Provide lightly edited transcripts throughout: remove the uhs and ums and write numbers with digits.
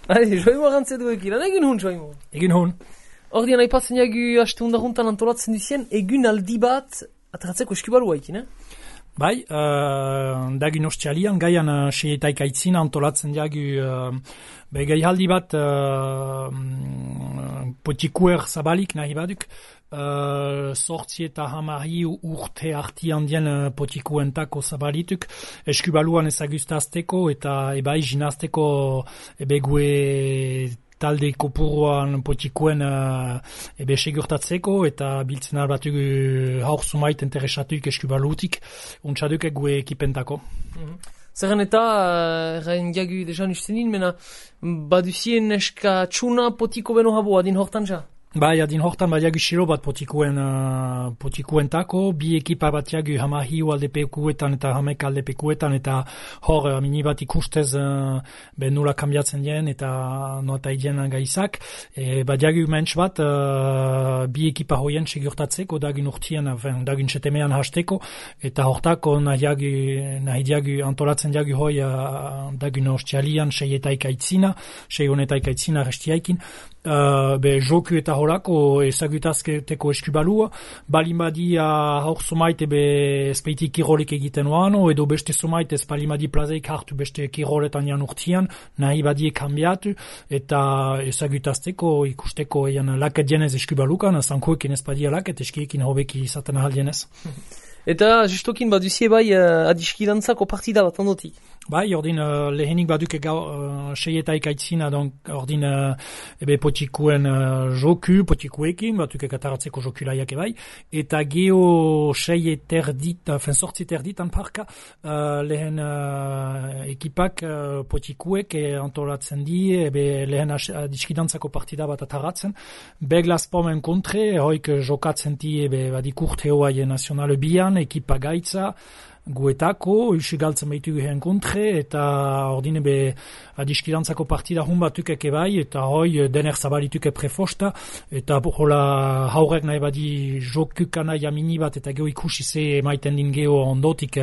Joimo arantzedu ekilan, egin hun, Joimo. Egin hun. Ordean aipatzen jagu haste hundaruntan antolatzen duzien, egun aldi bat ateratzeko eskubalua ekin, Bai, dagin ostialian, gaian seietaik aitzina antolatzen jagu gaihaldi bat potikuer zabalik nahi baduk, sortzi eta hamari urte artian dien potikuentako zabalituk, eskubaluan ezagustazteko eta ebai jinazteko gue talde kopuruan potikuen segurtatzeko eta biltzen albatu haur sumait interesatuik eskubalutik untsaduk gue ekipentako. Zerren eta, errain jagu dejan ustenin, mena baduzien eska txuna potiko beno habo adin hortan ja? Bai, adin hortan badiagu xilo bat potikuentako, bi ekipa batiagu hamahiu aldepekuetan eta hamek aldepekuetan eta hor minibat ikustez nula kambiatzen dien eta nota idien gaizak. Badiagu mentz bat bi ekipa hoien segurtatzeko dagin urtien, dagin setemean hasteko eta hortako nahi diagu antolatzen diagu hoi dagin ostialian seietaik aitzina, sei honetaik aitzina restiaikin. Joku eta horako ezagutazketeko eskubalua, balimadi haur somaite espeitik kirolik egiten oano, edo beste somaite ez balimadi plazeik hartu beste kiroletan jan urtian, nahi badie kambiatu, eta ezagutazteko ikusteko ean laket dienez eskubalukan, zankoekin ez badia laket, eskiekin hobeki izaten ahal dienez. Eta justokin baduzie bai adiskidantzako partida bat ondotik? Bai, ordin lehenik baduke seietaik aitzina, ordin potikuen joku, potikuekin, baduke kataratzeko jokulaiak bai, eta geo sortzi terditan parka, lehen ekipak potikuek antolatzen di, lehen adiskidantzako partida bat ataratzen, beglaspomen kontre, hoik jokatzen di, badik urte hoai nazionale bian, ekipa gaitza, guetako, usigaltzen behitugu heen kontre, eta ordine adiskidantzako partida hun batukek bai, eta hoi dener zabalituke prefosta, eta hola haurek nahi badi jokukana jamini bat, eta geho ikusi ze maiten din geho ondotik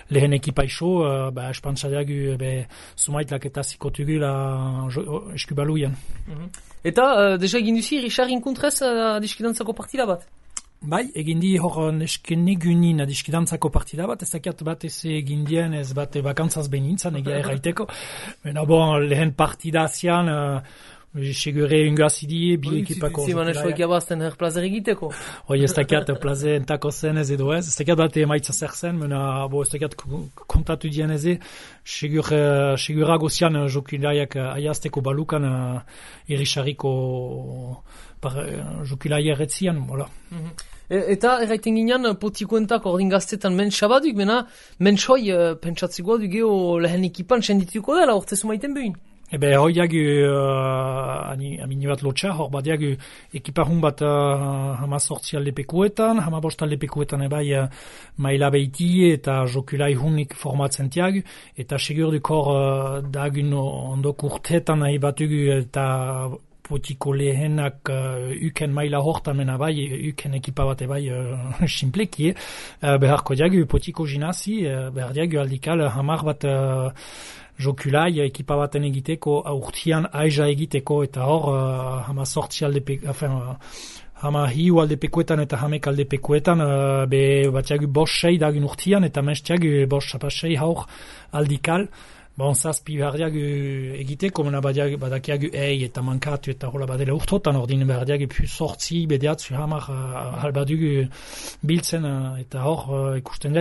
lehen ekipa iso, espantzadeagu sumaitlak eta zikotugula eskubaluian. Eta deja egin duzi, Richardin kontrez adiskidantzako partida bat? Bai, egin di hor neskenegunin adiskidantzako partida bat, ez dakiat bat ez egin dien, ez bat bakantzaz behintzan egia erraiteko. Bena lehen partida zian, segure ingazidi, bi ekipako. Ziman esoik jabazten plazer egiteko. Hoi, ez dakiat plazer entako zen ez edo ez, ez dakiat bat emaitza zer zen, mena ez dakiat kontatu dien ez, segurago zian jokilaiak aiazteko balukan irrisariko jokilai erretzian, hola. Eta erraiten ginean potikuentak ordin gaztetan mentxabaduk, mena mentxoi pentsatzikoa du geho lehen ekipan sendituko dela, ortezu maiten behin? Hoi jagu amini bat lotxa, hor bat jagu ekipahun bat hama sortzi aldepekuetan, hama bost aldepekuetan maila behiti eta jokulai hunik formatzen tiagu, eta segurduk hor dagun ondok urtetan nahi batugu eta potiko lehenak uken maila hortan mena bai, uken ekipa bat simpleki, beharko diagu potiko jinazi, behar diagu aldikal hamar bat jokulai ekipa baten egiteko, urtian aiza egiteko, eta hor hama sortzi hama hiu aldepekuetan eta hamek aldepekuetan, bat diagu bost sei dagun urtian, eta menz diagu bost sei haur aldikal, zazpi behar egiteko, mena badakiagu eta mankatu eta hola badela urtotan, ordin behar diagu sortzi, bedeatzu hamar halbadugu biltzen, eta hor ikusten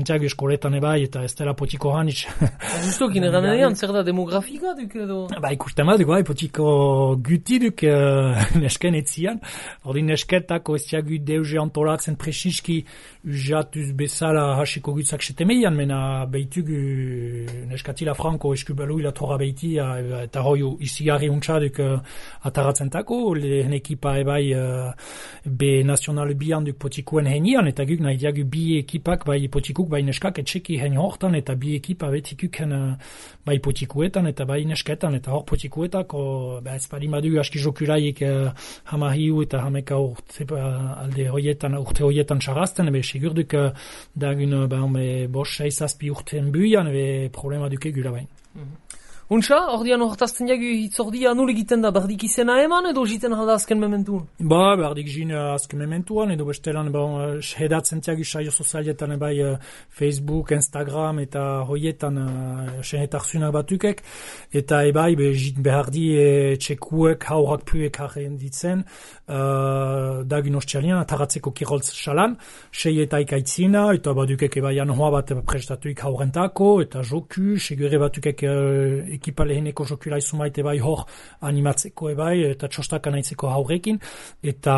diagu eskoletan ebai, eta ez dela potiko hanitz. Justokin eranean, zer da demografika duk edo? Ikusten baduk, potiko guti duk nesken etzian, ordin nesketako ez diagu deuze antolatzen presiski jatuz bezala hasiko gutzak setemeian, mena behitugu neskatila franko eskubalu ila torra behiti eta hoi izigarri untxaduk ataratzentako, lehen ekipa ebai be nazionale bian duk potikuen henian, eta guk nahi diagu bi ekipak bai potikuk bai neskak etxeki heni hortan, eta bi ekipa betikuken bai potikuetan eta bai nesketan, eta hor potikuetako ez parimadu aski jokulaiek hamahiu eta hameka alde urte hoietan txarazten, segurduk dagun bos seizazpi urten buian, problema duke gula bain. Untxa, ordian hortazten jagu hitzordia nul egiten da, berdik izena eman edo jiten halda azken mementuan? Berdik jin azken mementuan, edo bestelan sehedatzen tiagu saio sozialetan Facebook, Instagram eta hoietan sehetarzunak batukek, eta ebai jit behardi txekuek haurak puek harren ditzen, dagin ostialian, ataratzeko kiroltz salan, seietaik aitzina, eta badukek ebai anoa bat prestatuik haurentako, eta joku, segure batukek ekipa leheneko jokula izumaite bai hor animatzeko ebai, eta txostaka nahitzeko haurekin, eta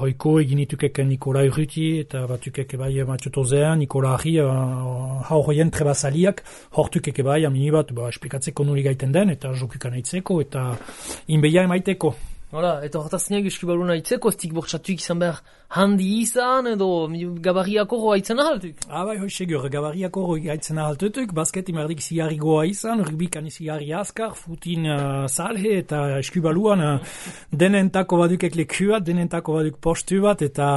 hoiko eginitukek Nikola Urruti, eta batukek ebai Matxotozean, Nikola Arri, hauroien trebazaliak, hortukek ebai, amini bat, esplikatzeko nuli gaiten den, eta jokuka nahitzeko, eta inbeia emaiteko. Hala, eta hortaztenak eskibaluna itzeko, ez dik bortxatuik izan behar handi izan, edo gabariako roa itzen ahaltuk? Bai, hoi segur, gabariako roa itzen ahaltutuk, basket imerdik ziarri goa izan, rugbikan ziarri askar, futin salhe, eta eskibaluan denentako badukek lekuat, denentako baduk postu bat, eta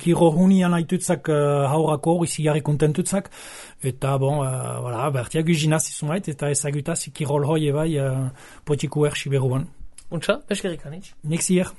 giro hunian haitutzak haurako hori ziarri kontentutzak, eta bertiak uzinaz izumait, eta ezagutaz kirol hoi ebai potiku ersi beruan. Untxa, peskerik anitz? Nexier.